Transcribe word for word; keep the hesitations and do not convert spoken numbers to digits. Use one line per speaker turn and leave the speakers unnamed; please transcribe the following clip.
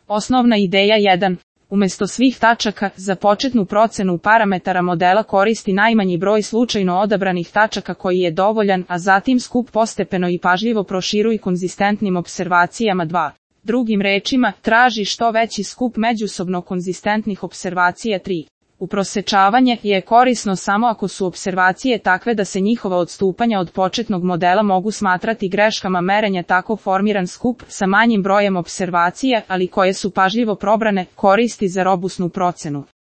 Osnovna ideja jedan. Umesto svih tačaka, za početnu procenu parametara modela koristi najmanji broj slučajno odabranih tačaka koji je dovoljan, a zatim skup postepeno i pažljivo proširuj konzistentnim observacijama dva. Drugim rečima, traži što veći skup međusobno konzistentnih observacija tri. Uprosečavanje je korisno samo ako su observacije takve da se njihova odstupanja od početnog modela mogu smatrati greškama merenja. Tako formiran skup sa manjim brojem observacija, ali koje su pažljivo probrane, koristi za robusnu procenu.